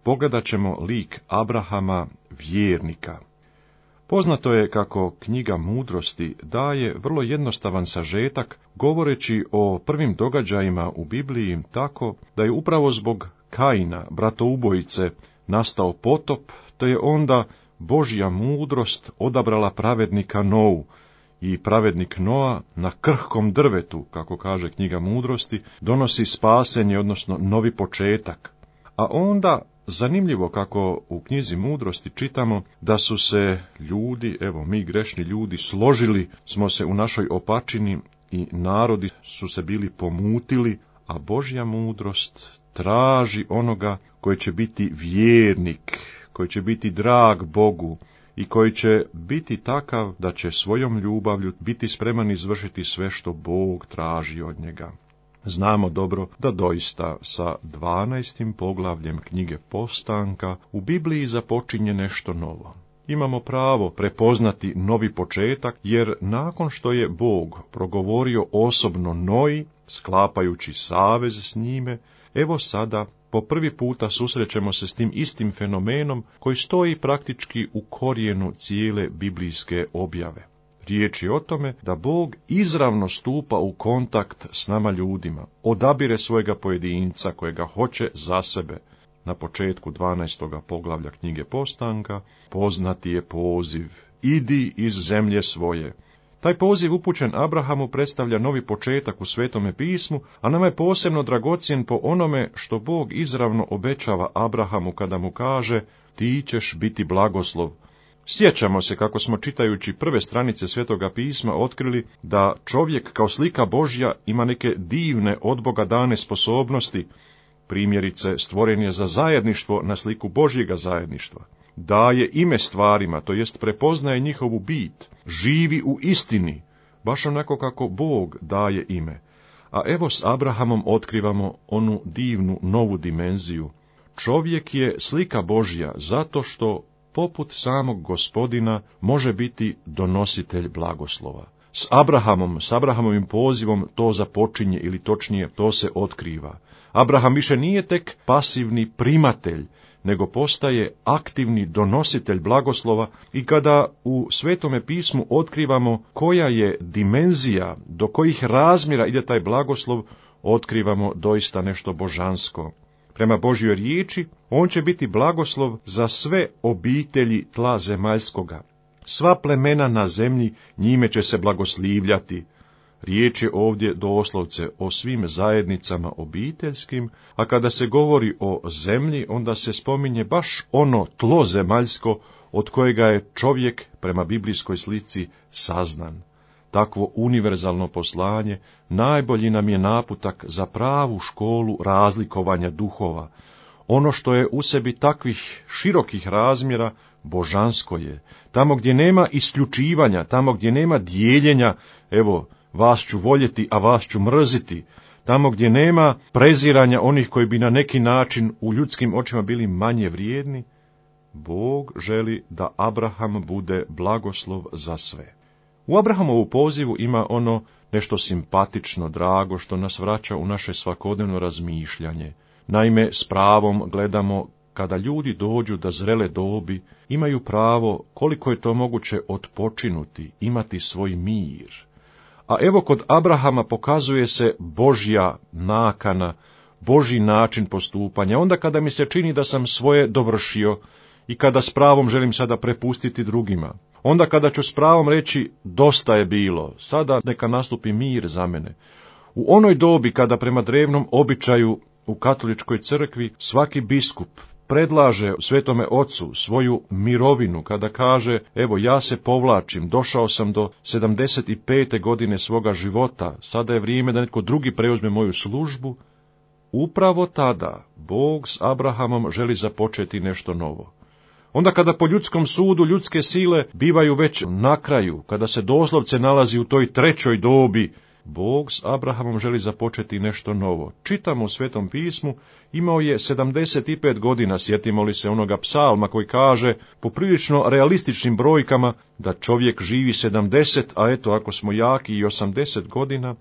pogledat ćemo lik Abrahama, vjernika. Poznato je kako knjiga Mudrosti daje vrlo jednostavan sažetak, govoreći o prvim događajima u Bibliji tako da je upravo zbog Kaina, bratoubojice, nastao potop, te je onda Božja mudrost odabrala pravednika Nou, i pravednik Noa na krhkom drvetu, kako kaže knjiga Mudrosti, donosi spasenje, odnosno novi početak. A onda, zanimljivo kako u knjizi Mudrosti čitamo da su se ljudi, evo mi grešni ljudi, složili smo se u našoj opačini i narodi su se bili pomutili, a Božja mudrost traži onoga koji će biti vjernik, koji će biti drag Bogu i koji će biti takav da će svojom ljubavlju biti spreman izvršiti sve što Bog traži od njega. Znamo dobro da doista sa 12. poglavljem knjige Postanka u Bibliji započinje nešto novo. Imamo pravo prepoznati novi početak, jer nakon što je Bog progovorio osobno Noji, sklapajući savez s njime, evo sada po prvi puta susrećemo se s tim istim fenomenom koji stoji praktički u korijenu cijele biblijske objave. Riječ je o tome da Bog izravno stupa u kontakt s nama ljudima, odabire svojega pojedinca kojega hoće za sebe. Na početku 12. poglavlja knjige Postanka poznati je poziv: idi iz zemlje svoje. Taj poziv upućen Abrahamu predstavlja novi početak u Svetome pismu, a nama je posebno dragocjen po onome što Bog izravno obećava Abrahamu kada mu kaže: ti ćeš biti blagoslov. Sjećamo se kako smo čitajući prve stranice Svetoga pisma otkrili da čovjek kao slika Božja ima neke divne od Boga dane sposobnosti. Primjerice, stvoren je za zajedništvo na sliku Božjega zajedništva. Daje ime stvarima, to jest prepoznaje njihovu bit, živi u istini, baš onako kako Bog daje ime. A evo s Abrahamom otkrivamo onu divnu novu dimenziju. Čovjek je slika Božja zato što, poput samog Gospodina, može biti donositelj blagoslova. S Abrahamovim pozivom to započinje, ili točnije to se otkriva. Abraham više nije tek pasivni primatelj, nego postaje aktivni donositelj blagoslova, i kada u Svetome pismu otkrivamo koja je dimenzija, do kojih razmjera ide taj blagoslov, otkrivamo doista nešto božansko. Prema Božjoj riječi, on će biti blagoslov za sve obitelji tla zemaljskoga. Sva plemena na zemlji njime će se blagoslivljati. Riječ je ovdje doslovce o svim zajednicama obiteljskim, a kada se govori o zemlji, onda se spominje baš ono tlo zemaljsko od kojega je čovjek prema biblijskoj slici saznan. Takvo univerzalno poslanje najbolji nam je naputak za pravu školu razlikovanja duhova. Ono što je u sebi takvih širokih razmjera, božansko je. Tamo gdje nema isključivanja, tamo gdje nema dijeljenja, evo, vas ću voljeti, a vas ću mrziti. Tamo gdje nema preziranja onih koji bi na neki način u ljudskim očima bili manje vrijedni, Bog želi da Abraham bude blagoslov za sve. U Abrahamovu pozivu ima ono nešto simpatično, drago, što nas vraća u naše svakodnevno razmišljanje. Naime, s pravom gledamo kada ljudi dođu do zrele dobi, imaju pravo, koliko je to moguće, odpočinuti, imati svoj mir. A evo kod Abrahama pokazuje se Božja nakana, Božji način postupanja, onda kada mi se čini da sam svoje dovršio i kada s pravom želim sada prepustiti drugima. Onda kada ću s pravom reći dosta je bilo, sada neka nastupi mir za mene. U onoj dobi kada prema drevnom običaju u katoličkoj crkvi svaki biskup predlaže Svetome Ocu svoju mirovinu, kada kaže: evo ja se povlačim, došao sam do 75. godine svoga života, sada je vrijeme da netko drugi preuzme moju službu, upravo tada Bog s Abrahamom želi započeti nešto novo. Onda kada po ljudskom sudu ljudske sile bivaju već na kraju, kada se doslovce nalazi u toj trećoj dobi, Bog s Abrahamom želi započeti nešto novo. Čitamo u Svetom pismu, imao je 75 godina, sjetimo li se onoga psalma koji kaže, poprilično realističnim brojkama, da čovjek živi 70, a eto ako smo jaki i 80 godina,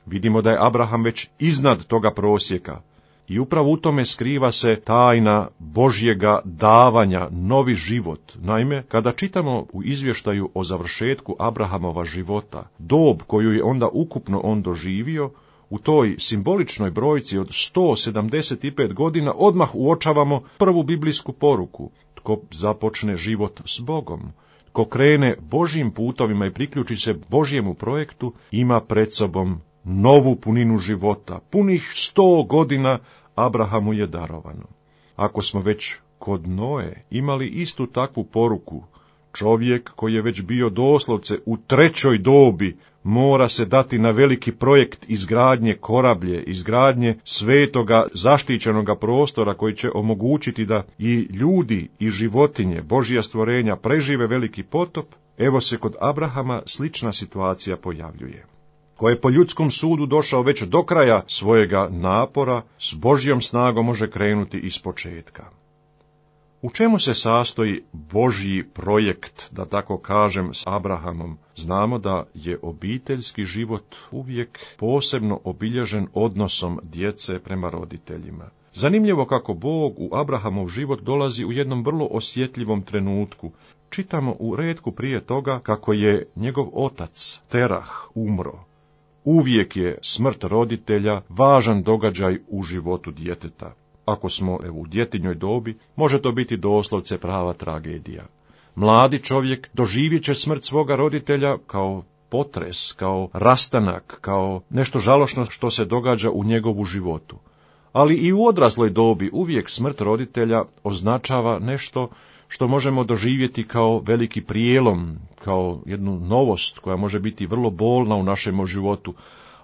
vidimo da je Abraham već iznad toga prosjeka. I upravo u tome skriva se tajna Božjega davanja, novi život. Naime, kada čitamo u izvještaju o završetku Abrahamova života, dob koju je onda ukupno on doživio, u toj simboličnoj brojci od 175 godina odmah uočavamo prvu biblijsku poruku. Tko započne život s Bogom, tko krene Božjim putovima i priključi se Božjemu projektu, ima pred sobom novu puninu života. Punih 100 godina Abrahamu je darovano. Ako smo već kod Noe imali istu takvu poruku, čovjek koji je već bio doslovce u 3. dobi mora se dati na veliki projekt izgradnje korablje, izgradnje svetoga zaštićenoga prostora koji će omogućiti da i ljudi i životinje, Božja stvorenja prežive veliki potop. Evo se kod Abrahama slična situacija pojavljuje. Ko je po ljudskom sudu došao već do kraja svojega napora, s Božjom snagom može krenuti iz početka. U čemu se sastoji Božji projekt, da tako kažem, s Abrahamom? Znamo da je obiteljski život uvijek posebno obilježen odnosom djece prema roditeljima. Zanimljivo kako Bog u Abrahamov život dolazi u jednom vrlo osjetljivom trenutku. Čitamo u retku prije toga kako je njegov otac, Terah, umro. Uvijek je smrt roditelja važan događaj u životu djeteta. Ako smo u djetinjoj dobi, može to biti doslovce prava tragedija. Mladi čovjek doživjet će smrt svoga roditelja kao potres, kao rastanak, kao nešto žalošno što se događa u njegovu životu. Ali i u odrasloj dobi uvijek smrt roditelja označava nešto što možemo doživjeti kao veliki prijelom, kao jednu novost koja može biti vrlo bolna u našem životu.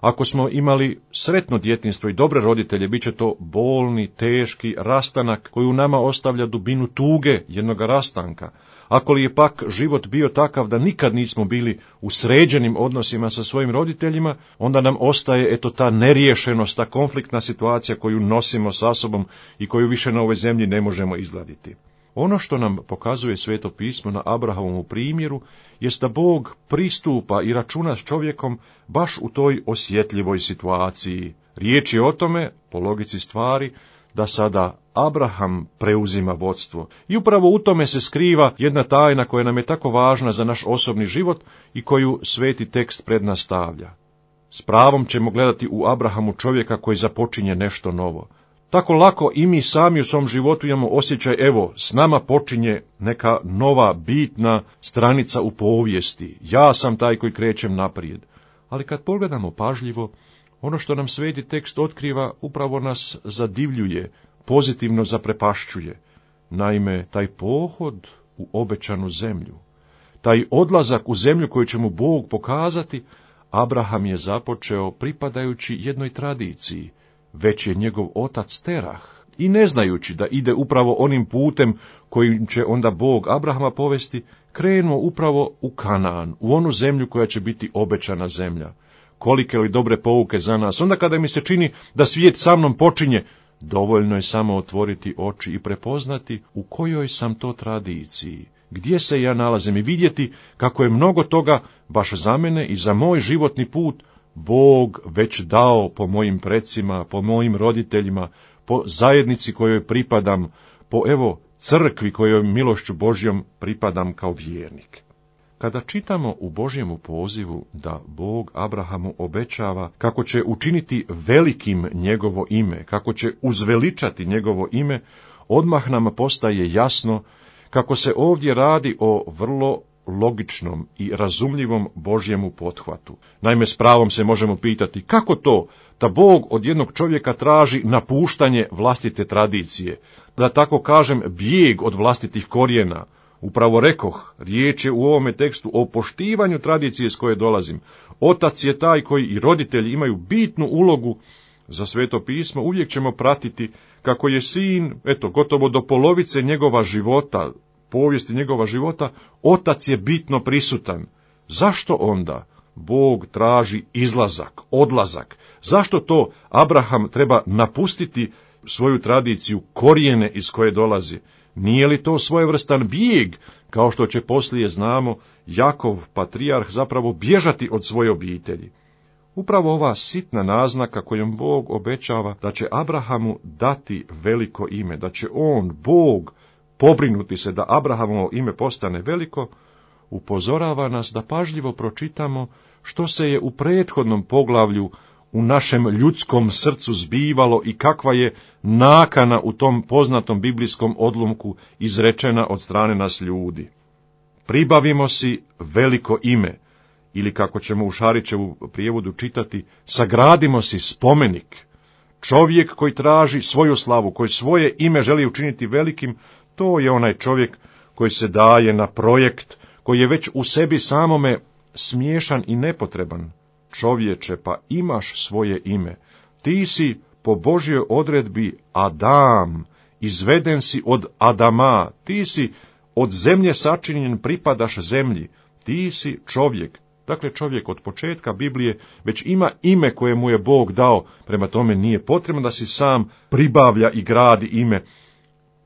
Ako smo imali sretno djetinjstvo i dobre roditelje, bit će to bolni, teški rastanak koji u nama ostavlja dubinu tuge jednog rastanka. Ako li je pak život bio takav da nikad nismo bili u sređenim odnosima sa svojim roditeljima, onda nam ostaje ta neriješenost, ta konfliktna situacija koju nosimo sa sobom i koju više na ovoj zemlji ne možemo izgladiti. Ono što nam pokazuje Sveto pismo na Abrahamovu primjeru jest da Bog pristupa i računa s čovjekom baš u toj osjetljivoj situaciji. Riječ je o tome, po logici stvari, da sada Abraham preuzima vodstvo. I upravo u tome se skriva jedna tajna koja nam je tako važna za naš osobni život i koju sveti tekst pred nas stavlja. S pravom ćemo gledati u Abrahamu čovjeka koji započinje nešto novo. Tako lako i mi sami u svom životu imamo osjećaj, evo, s nama počinje neka nova, bitna stranica u povijesti. Ja sam taj koji krećem naprijed. Ali kad pogledamo pažljivo, ono što nam sveti tekst otkriva upravo nas zadivljuje, pozitivno zaprepašćuje. Naime, taj pohod u obećanu zemlju, taj odlazak u zemlju koju će mu Bog pokazati, Abraham je započeo pripadajući jednoj tradiciji. Već je njegov otac Terah, i ne znajući da ide upravo onim putem kojim će onda Bog Abrahama povesti, krenuo upravo u Kanaan, u onu zemlju koja će biti obećana zemlja. Kolike li dobre pouke za nas, onda kada mi se čini da svijet sa mnom počinje, dovoljno je samo otvoriti oči i prepoznati u kojoj sam to tradiciji, gdje se ja nalazim i vidjeti kako je mnogo toga, baš za mene i za moj životni put, Bog već dao po mojim precima, po mojim roditeljima, po zajednici kojoj pripadam, po crkvi kojoj milošću Božjom pripadam kao vjernik. Kada čitamo u Božjemu pozivu da Bog Abrahamu obećava kako će učiniti velikim njegovo ime, kako će uzveličati njegovo ime, odmah nam postaje jasno kako se ovdje radi o vrlo logičnom i razumljivom Božjemu pothvatu. Naime, s pravom se možemo pitati kako to da Bog od jednog čovjeka traži napuštanje vlastite tradicije, da tako kažem bijeg od vlastitih korijena. Upravo rekoh, riječ je u ovome tekstu o poštivanju tradicije s koje dolazim. Otac je taj koji i roditelji imaju bitnu ulogu za Sveto pismo. Uvijek ćemo pratiti kako je sin, gotovo do polovice njegova života, povijesti njegova života, otac je bitno prisutan. Zašto onda Bog traži izlazak, odlazak? Zašto to Abraham treba napustiti svoju tradiciju, korijene iz koje dolazi? Nije li to svojevrstan bijeg, kao što će poslije, znamo, Jakov, patrijarh, zapravo bježati od svoje obitelji? Upravo ova sitna naznaka kojom Bog obećava da će Abrahamu dati veliko ime, da će on, Bog, pobrinuti se da Abrahamovo ime postane veliko, upozorava nas da pažljivo pročitamo što se je u prethodnom poglavlju u našem ljudskom srcu zbivalo i kakva je nakana u tom poznatom biblijskom odlomku izrečena od strane nas ljudi. Pribavimo si veliko ime, ili kako ćemo u Šarićevu prijevodu čitati, sagradimo si spomenik. Čovjek koji traži svoju slavu, koji svoje ime želi učiniti velikim, to je onaj čovjek koji se daje na projekt, koji je već u sebi samome smiješan i nepotreban. Čovječe, pa imaš svoje ime. Ti si po Božjoj odredbi Adam, izveden si od Adama, ti si od zemlje sačinjen, pripadaš zemlji, ti si čovjek. Dakle, čovjek od početka Biblije već ima ime koje mu je Bog dao, prema tome nije potrebno da si sam pribavlja i gradi ime.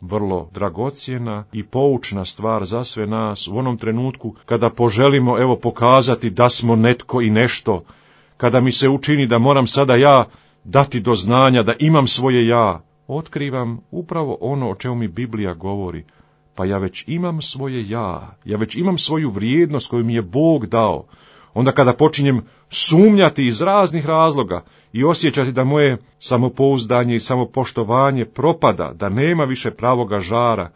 Vrlo dragocjena i poučna stvar za sve nas u onom trenutku kada poželimo pokazati da smo netko i nešto, kada mi se učini da moram sada ja dati do znanja da imam svoje ja, otkrivam upravo ono o čemu mi Biblija govori. Pa ja već imam svoje ja već imam svoju vrijednost koju mi je Bog dao. Onda kada počinjem sumnjati iz raznih razloga i osjećati da moje samopouzdanje i samopoštovanje propada, da nema više pravoga žara,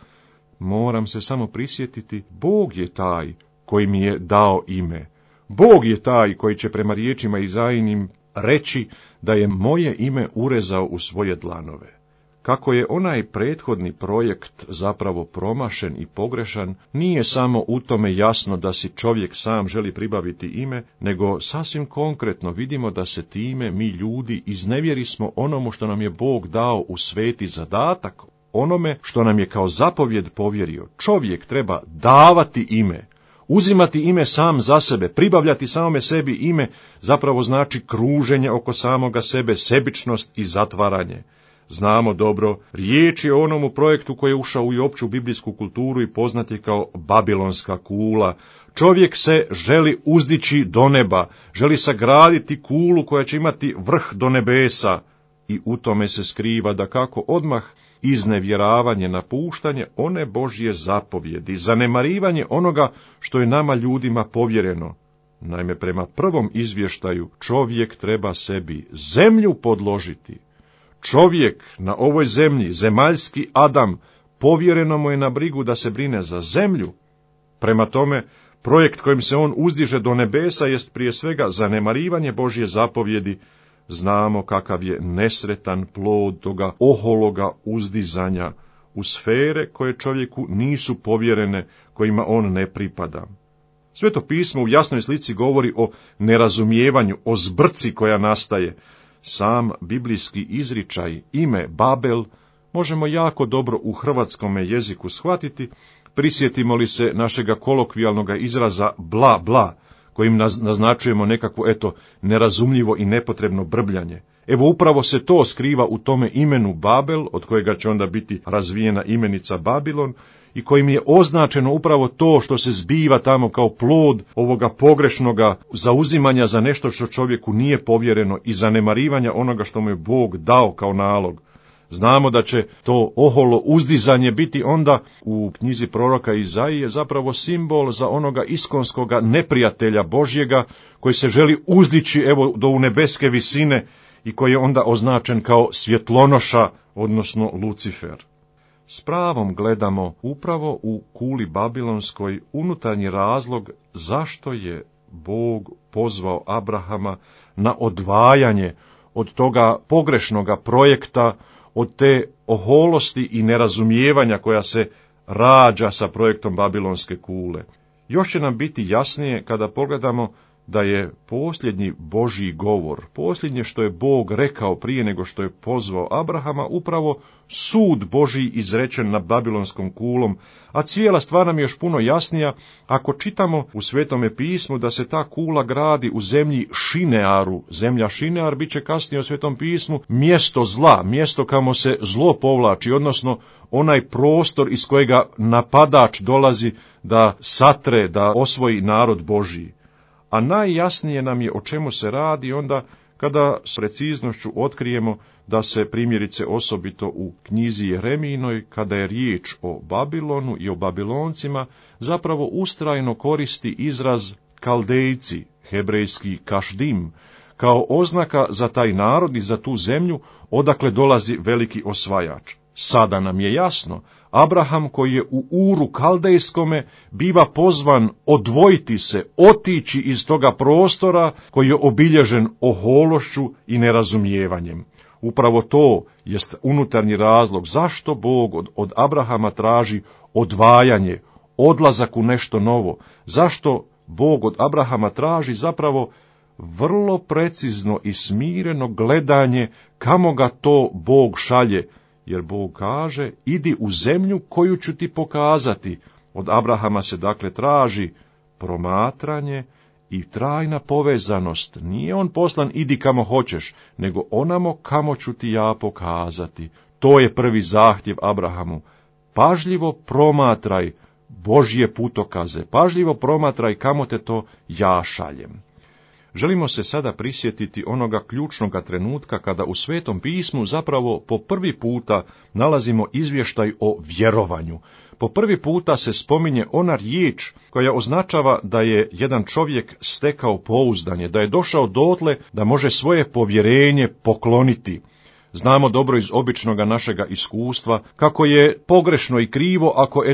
moram se samo prisjetiti, Bog je taj koji mi je dao ime. Bog je taj koji će prema riječima Izaijinim reći da je moje ime urezao u svoje dlanove. Kako je onaj prethodni projekt zapravo promašen i pogrešan, nije samo u tome jasno da si čovjek sam želi pribaviti ime, nego sasvim konkretno vidimo da se time mi ljudi iznevjerismo onomu što nam je Bog dao u sveti zadatak, onome što nam je kao zapovjed povjerio. Čovjek treba davati ime, uzimati ime sam za sebe, pribavljati samome sebi ime, zapravo znači kruženje oko samoga sebe, sebičnost i zatvaranje. Znamo dobro, riječ je o onomu projektu koji je ušao u opću biblijsku kulturu i poznat je kao Babilonska kula. Čovjek se želi uzdići do neba, želi sagraditi kulu koja će imati vrh do nebesa i u tome se skriva da kako odmah iznevjeravanje, napuštanje one Božje zapovjedi, zanemarivanje onoga što je nama ljudima povjereno. Naime, prema prvom izvještaju čovjek treba sebi zemlju podložiti. Čovjek na ovoj zemlji, zemaljski Adam, povjereno mu je na brigu da se brine za zemlju. Prema tome, projekt kojim se on uzdiže do nebesa jest prije svega zanemarivanje Božje zapovjedi. Znamo kakav je nesretan plod toga ohologa uzdizanja u sfere koje čovjeku nisu povjerene, kojima on ne pripada. Sveto pismo u jasnoj slici govori o nerazumijevanju, o zbrci koja nastaje. Sam biblijski izričaj, ime Babel, možemo jako dobro u hrvatskome jeziku shvatiti, prisjetimo li se našega kolokvijalnog izraza bla bla, kojim naznačujemo nekakvo nerazumljivo i nepotrebno brbljanje. Evo upravo se to skriva u tome imenu Babel, od kojega će onda biti razvijena imenica Babilon, i kojim je označeno upravo to što se zbiva tamo kao plod ovoga pogrešnoga zauzimanja za nešto što čovjeku nije povjereno i zanemarivanja onoga što mu je Bog dao kao nalog. Znamo da će to oholo uzdizanje biti onda u knjizi proroka Izaije zapravo simbol za onoga iskonskoga neprijatelja Božjega koji se želi uzdići do u nebeske visine i koji je onda označen kao svjetlonoša, odnosno Lucifer. S pravom gledamo upravo u kuli babilonskoj unutarnji razlog zašto je Bog pozvao Abrahama na odvajanje od toga pogrešnoga projekta, od te oholosti i nerazumijevanja koja se rađa sa projektom Babilonske kule. Još će nam biti jasnije kada pogledamo da je posljednji Božji govor, posljednje što je Bog rekao prije nego što je pozvao Abrahama, upravo sud Božji izrečen nad Babilonskom kulom, a cijela stvar nam je još puno jasnija ako čitamo u Svetome pismu da se ta kula gradi u zemlji Šinearu. Zemlja Šinear bit će kasnije u Svetom pismu mjesto zla, mjesto kamo se zlo povlači, odnosno onaj prostor iz kojega napadač dolazi da satre, da osvoji narod Božji. a najjasnije nam je o čemu se radi onda kada s preciznošću otkrijemo da se primjerice osobito u knjizi Jeremijinoj, kada je riječ o Babilonu i o Babiloncima, zapravo ustrajno koristi izraz Kaldejci, hebrejski kašdim, kao oznaka za taj narod i za tu zemlju odakle dolazi veliki osvajač. Sada nam je jasno, Abraham koji je u Uru Kaldejskome biva pozvan odvojiti se, otići iz toga prostora koji je obilježen ohološću i nerazumijevanjem. Upravo to jest unutarnji razlog zašto Bog od Abrahama traži odvajanje, odlazak u nešto novo, zašto Bog od Abrahama traži zapravo vrlo precizno i smireno gledanje kamo ga to Bog šalje, jer Bog kaže, idi u zemlju koju ću ti pokazati. Od Abrahama se dakle traži promatranje i trajna povezanost. Nije on poslan idi kamo hoćeš, nego onamo kamo ću ti ja pokazati. To je prvi zahtjev Abrahamu. Pažljivo promatraj Božje putokaze, pažljivo promatraj kamo te to ja šaljem. Želimo se sada prisjetiti onoga ključnoga trenutka kada u Svetom pismu zapravo po prvi puta nalazimo izvještaj o vjerovanju. Po prvi puta se spominje ona riječ koja označava da je jedan čovjek stekao pouzdanje, da je došao dotle da može svoje povjerenje pokloniti. Znamo dobro iz običnoga našega iskustva kako je pogrešno i krivo ako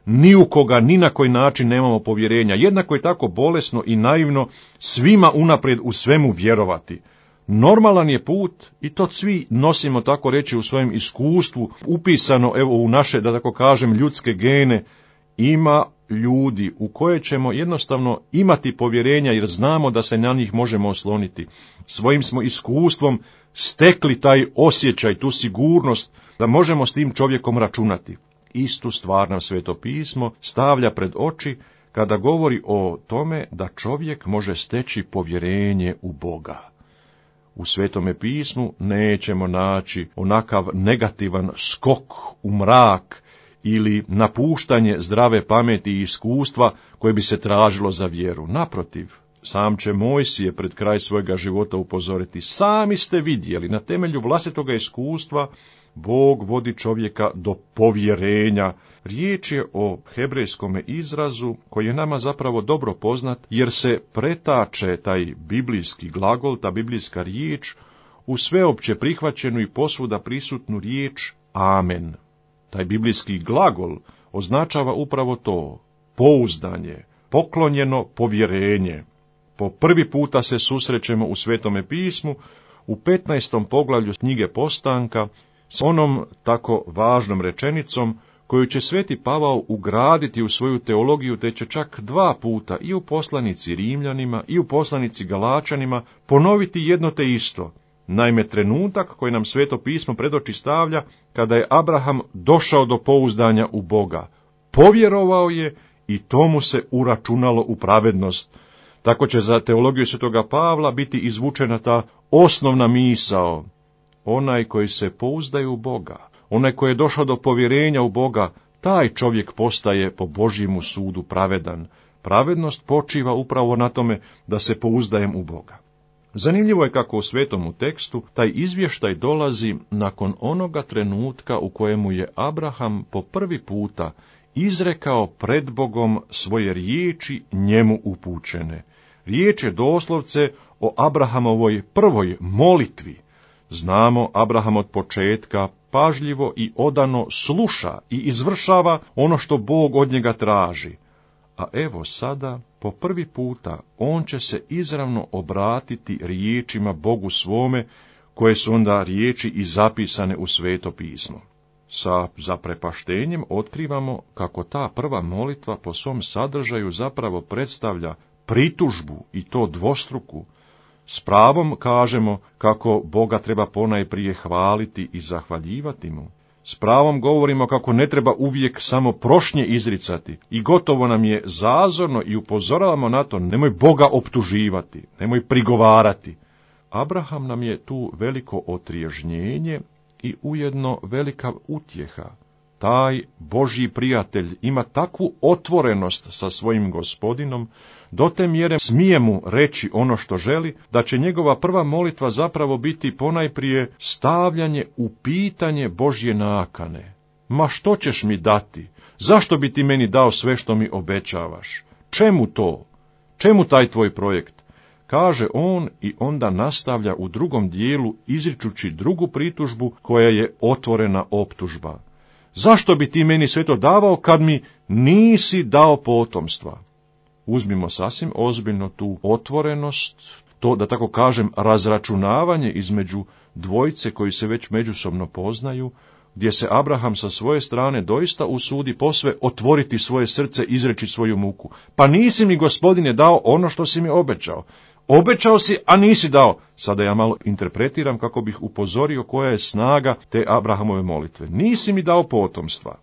ni u koga ni na koji način nemamo povjerenja. Jednako je tako bolesno i naivno svima unaprijed u svemu vjerovati. Normalan je put, i to svi nosimo tako reći u svojem iskustvu, upisano u naše, da tako kažem, ljudske gene, ima ljudi u koje ćemo jednostavno imati povjerenja jer znamo da se na njih možemo osloniti. Svojim smo iskustvom stekli taj osjećaj, tu sigurnost da možemo s tim čovjekom računati. Istu stvar nam Sveto pismo stavlja pred oči kada govori o tome da čovjek može steći povjerenje u Boga. U Svetome pismu nećemo naći onakav negativan skok u mrak ili napuštanje zdrave pameti i iskustva koje bi se tražilo za vjeru. Naprotiv, sam će Mojsije pred kraj svojega života upozoriti, sami ste vidjeli, na temelju vlastitoga iskustva Bog vodi čovjeka do povjerenja. Riječ je o hebrejskom izrazu koji je nama zapravo dobro poznat, jer se pretače taj biblijski glagol, ta biblijska riječ, u sveopće prihvaćenu i posvuda prisutnu riječ amen. Taj biblijski glagol označava upravo to, pouzdanje, poklonjeno povjerenje. Po prvi puta se susrećemo u Svetome pismu, u 15. poglavlju knjige Postanka, s onom tako važnom rečenicom koju će Sveti Pavao ugraditi u svoju teologiju, te će čak 2 puta i u poslanici Rimljanima i u poslanici Galačanima ponoviti jedno te isto. Naime, trenutak koji nam Sveto pismo predoči stavlja kada je Abraham došao do pouzdanja u Boga. Povjerovao je i to mu se uračunalo u pravednost. Tako će za teologiju Svetoga Pavla biti izvučena ta osnovna misao. Onaj koji se pouzdaje u Boga, onaj koji je došao do povjerenja u Boga, taj čovjek postaje po Božjemu sudu pravedan. Pravednost počiva upravo na tome da se pouzdajem u Boga. Zanimljivo je kako u svetomu tekstu taj izvještaj dolazi nakon onoga trenutka u kojemu je Abraham po prvi puta izrekao pred Bogom svoje riječi njemu upućene. Riječ je doslovce o Abrahamovoj prvoj molitvi. Znamo, Abraham od početka pažljivo i odano sluša i izvršava ono što Bog od njega traži. A evo sada, po prvi puta, on će se izravno obratiti riječima Bogu svome, koje su onda riječi i zapisane u Sveto pismo. Sa zaprepaštenjem otkrivamo kako ta prva molitva po svom sadržaju zapravo predstavlja pritužbu, i to dvostruku. S pravom kažemo kako Boga treba ponajprije hvaliti i zahvaljivati mu. S pravom govorimo kako ne treba uvijek samo prošnje izricati i gotovo nam je zazorno i upozoravamo na to, nemoj Boga optuživati, nemoj prigovarati. Abraham nam je tu veliko otriježnjenje i ujedno velika utjeha. taj Božji prijatelj ima takvu otvorenost sa svojim Gospodinom, do te mjere smije mu reći ono što želi, da će njegova prva molitva zapravo biti ponajprije stavljanje u pitanje Božje nakane. Ma što ćeš mi dati? Zašto bi ti meni dao sve što mi obećavaš? Čemu to? Čemu taj tvoj projekt? Kaže on i onda nastavlja u drugom dijelu izričući drugu pritužbu koja je otvorena optužba. Zašto bi ti meni sve to davao kad mi nisi dao potomstva? Uzmimo sasvim ozbiljno tu otvorenost, to da tako kažem razračunavanje između dvojice koji se već međusobno poznaju, gdje se Abraham sa svoje strane doista usudi posve otvoriti svoje srce, izreći svoju muku. Pa nisi mi, Gospodine, dao ono što si mi obećao. Obećao si, a nisi dao. Sada ja malo interpretiram kako bih upozorio koja je snaga te Abrahamove molitve. Nisi mi dao potomstva.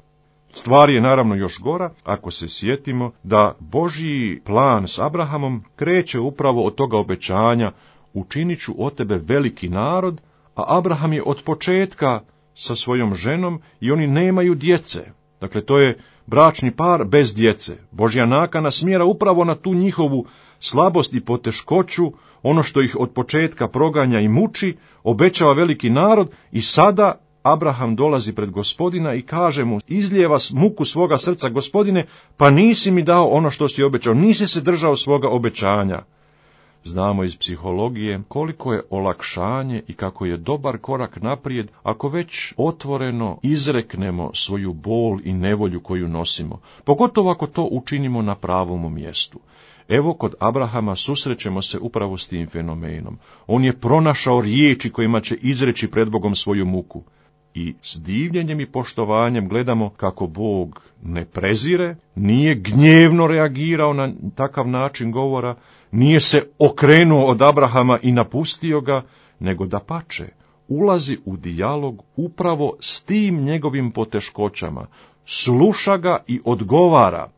Stvar je naravno još gora ako se sjetimo da Božji plan s Abrahamom kreće upravo od toga obećanja: učinit ću od tebe veliki narod, a Abraham je od početka sa svojom ženom i oni nemaju djece. Dakle, to je bračni par bez djece. Božja nakana smjera upravo na tu njihovu slabost i poteškoću, ono što ih od početka proganja i muči, obećava veliki narod i sada Abraham dolazi pred Gospodina i kaže mu, izlijeva muku svoga srca: Gospodine, pa nisi mi dao ono što si obećao, nisi se držao svoga obećanja. Znamo iz psihologije koliko je olakšanje i kako je dobar korak naprijed ako već otvoreno izreknemo svoju bol i nevolju koju nosimo, pogotovo ako to učinimo na pravom mjestu. Evo, kod Abrahama susrećemo se upravo s tim fenomenom. On je pronašao riječi kojima će izreći pred Bogom svoju muku. I s divljenjem i poštovanjem gledamo kako Bog ne prezire, nije gnjevno reagirao na takav način govora, nije se okrenuo od Abrahama i napustio ga, nego dapače, ulazi u dijalog upravo s tim njegovim poteškoćama, sluša ga i odgovara.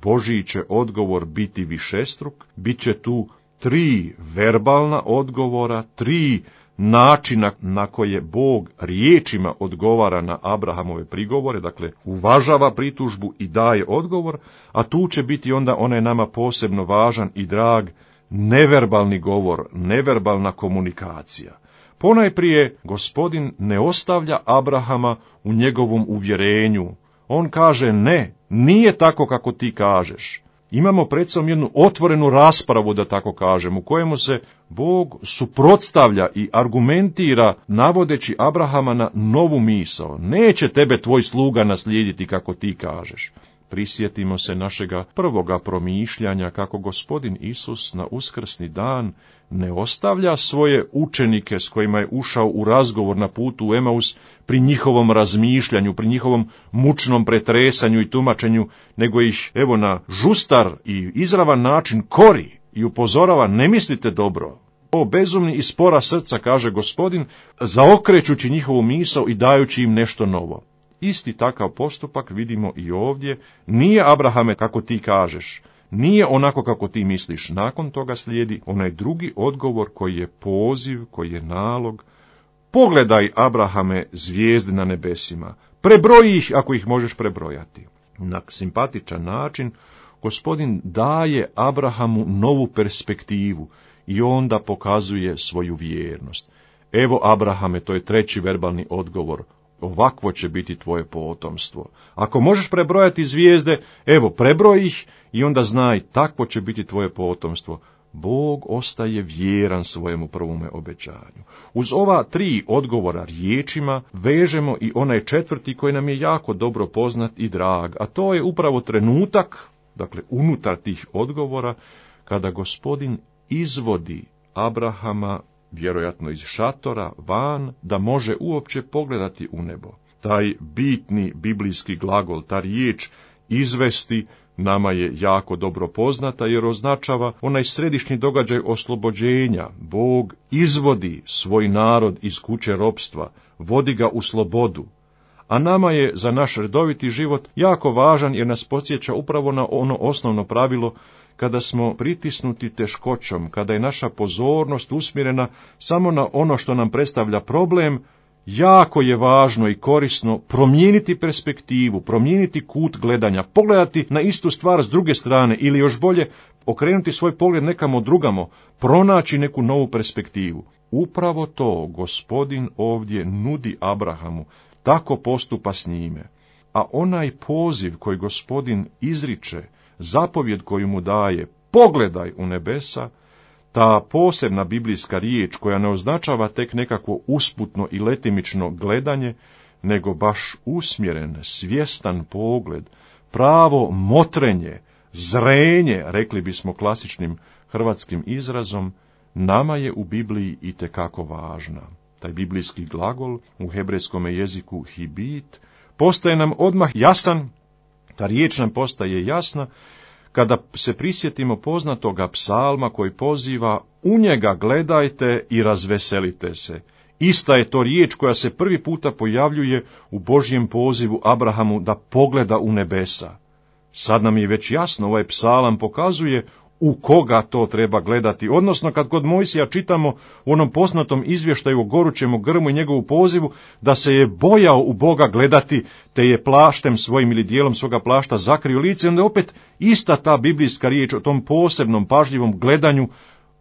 Božji će odgovor biti višestruk, bit će tu 3 verbalna odgovora, 3 načina na koje Bog riječima odgovara na Abrahamove prigovore, dakle uvažava pritužbu i daje odgovor, a tu će biti onda onaj nama posebno važan i drag neverbalni govor, neverbalna komunikacija. Ponajprije Gospodin ne ostavlja Abrahama u njegovom uvjerenju. On kaže: ne, nije tako kako ti kažeš. Imamo pred sobom jednu otvorenu raspravu, da tako kažem, u kojemu se Bog suprotstavlja i argumentira navodeći Abrahama na novu misao. Neće tebe tvoj sluga naslijediti kako ti kažeš. Prisjetimo se našega prvoga promišljanja kako Gospodin Isus na uskrsni dan ne ostavlja svoje učenike s kojima je ušao u razgovor na putu u Emaus pri njihovom razmišljanju, pri njihovom mučnom pretresanju i tumačenju, nego ih evo na žustar i izravan način kori i upozorava: ne mislite dobro. O bezumni i spora srca, kaže Gospodin, zaokrećući njihovu misao i dajući im nešto novo. Isti takav postupak vidimo i ovdje. Nije, Abrahame, kako ti kažeš, nije onako kako ti misliš. Nakon toga slijedi onaj drugi odgovor koji je poziv, koji je nalog. Pogledaj, Abrahame, zvijezde na nebesima, prebroji ih ako ih možeš prebrojati. Na simpatičan način Gospodin daje Abrahamu novu perspektivu i onda pokazuje svoju vjernost. Evo, Abrahame, to je 3. verbalni odgovor. Ovakvo će biti tvoje potomstvo. Ako možeš prebrojati zvijezde, evo, prebroj ih i onda znaj, takvo će biti tvoje potomstvo. Bog ostaje vjeran svojemu prvome obećanju. Uz ova 3 odgovora riječima vežemo i onaj 4. koji nam je jako dobro poznat i drag, a to je upravo trenutak, dakle unutar tih odgovora, kada Gospodin izvodi Abrahama vjerojatno iz šatora van, da može uopće pogledati u nebo. Taj bitni biblijski glagol, ta riječ izvesti, nama je jako dobro poznata jer označava onaj središnji događaj oslobođenja. Bog izvodi svoj narod iz kuće ropstva, vodi ga u slobodu. A nama je za naš redoviti život jako važan jer nas podsjeća upravo na ono osnovno pravilo: kada smo pritisnuti teškoćom, kada je naša pozornost usmjerena samo na ono što nam predstavlja problem, jako je važno i korisno promijeniti perspektivu, promijeniti kut gledanja, pogledati na istu stvar s druge strane ili još bolje okrenuti svoj pogled nekamo drugamo, pronaći neku novu perspektivu. Upravo to Gospodin ovdje nudi Abrahamu, tako postupa s njime. A onaj poziv koji Gospodin izriče, zapovjed koju mu daje, pogledaj u nebesa, ta posebna biblijska riječ koja ne označava tek nekakvo usputno i letimično gledanje, nego baš usmjeren, svjestan pogled, pravo motrenje, zrenje, rekli bismo klasičnim hrvatskim izrazom, nama je u Bibliji itekako važna. Taj biblijski glagol u hebrejskom jeziku hibit postaje nam odmah jasan, ta riječ nam postaje jasna kada se prisjetimo poznatoga psalma koji poziva u njega gledajte i razveselite se. Ista je to riječ koja se prvi puta pojavljuje u Božjem pozivu Abrahamu da pogleda u nebesa. Sad nam je već jasno, ovaj psalam pokazuje u koga to treba gledati, odnosno kad kod Mojsija čitamo u onom poznatom izvještaju o gorućem grmu i njegovu pozivu, da se je bojao u Boga gledati, te je plaštem svojim ili dijelom svoga plašta zakrio lice, onda je opet ista ta biblijska riječ o tom posebnom pažljivom gledanju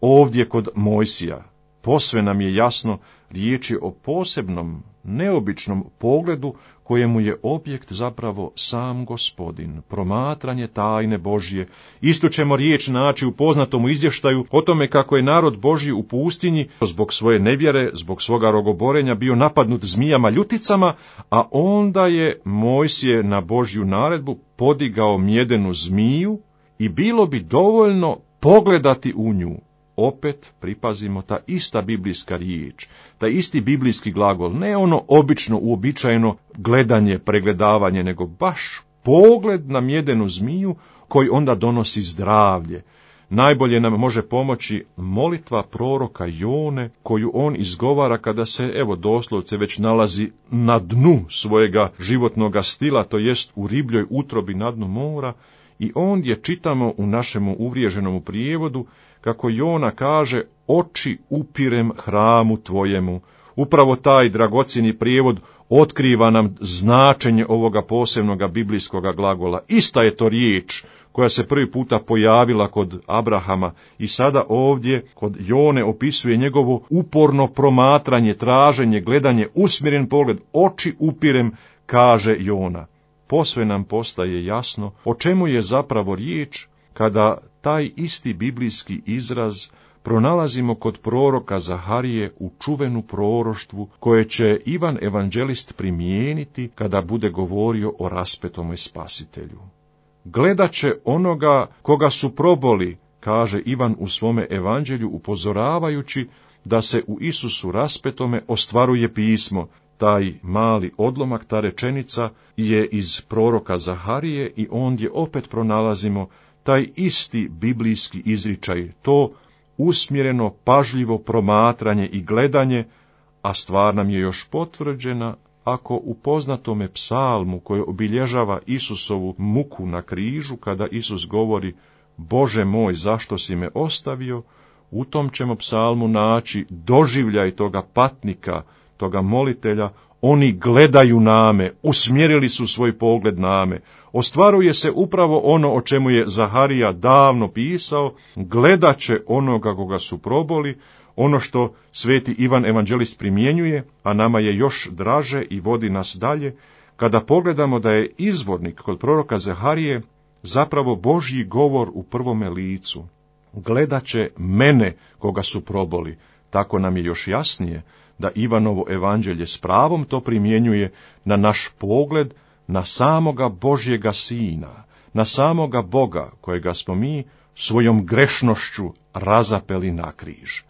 ovdje kod Mojsija. Posve nam je jasno, riječ je o posebnom, neobičnom pogledu kojemu je objekt zapravo sam Gospodin, promatranje tajne Božje. Isto ćemo riječ naći u poznatom izvještaju o tome kako je narod Božji u pustinji zbog svoje nevjere, zbog svoga rogoborenja bio napadnut zmijama ljuticama, a onda je Mojsije na Božju naredbu podigao mjedenu zmiju i bilo bi dovoljno pogledati u nju. Opet pripazimo ta ista biblijska riječ, taj isti biblijski glagol, ne ono obično, uobičajeno gledanje, pregledavanje, nego baš pogled na mjedenu zmiju koji onda donosi zdravlje. Najbolje nam može pomoći molitva proroka Jone, koju on izgovara kada se, evo doslovce, već nalazi na dnu svojega životnoga stila, to jest u ribljoj utrobi na dnu mora, i ondje čitamo u našemu uvriježenom prijevodu kako Jona kaže, oči upirem hramu tvojemu. Upravo taj dragocjeni prijevod otkriva nam značenje ovoga posebnoga biblijskoga glagola. Ista je to riječ koja se prvi puta pojavila kod Abrahama i sada ovdje kod Jone opisuje njegovo uporno promatranje, traženje, gledanje, usmjeren pogled, oči upirem, kaže Jona. Posve nam postaje jasno o čemu je zapravo riječ kada taj isti biblijski izraz pronalazimo kod proroka Zaharije u čuvenu proroštvu koje će Ivan evanđelist primijeniti kada bude govorio o raspetome spasitelju. Gledat će onoga koga su proboli, kaže Ivan u svome evanđelju upozoravajući da se u Isusu raspetome ostvaruje pismo. Taj mali odlomak, ta rečenica je iz proroka Zaharije i ondje opet pronalazimo taj isti biblijski izričaj, to usmjereno, pažljivo promatranje i gledanje, a stvar nam je još potvrđena ako u poznatome psalmu koje obilježava Isusovu muku na križu, kada Isus govori Bože moj, zašto si me ostavio, u tom ćemo psalmu naći doživljaj toga patnika, toga molitelja, oni gledaju name, usmjerili su svoj pogled name. Ostvaruje se upravo ono o čemu je Zaharija davno pisao, gledat će onoga koga su proboli, ono što sveti Ivan evanđelist primjenjuje, a nama je još draže i vodi nas dalje, kada pogledamo da je izvornik kod proroka Zaharije zapravo Božji govor u prvome licu. Gledat će mene koga su proboli. Tako nam je još jasnije da Ivanovo evanđelje s pravom to primjenjuje na naš pogled, na samoga Božjega Sina, na samoga Boga kojega smo mi svojom grešnošću razapeli na križ.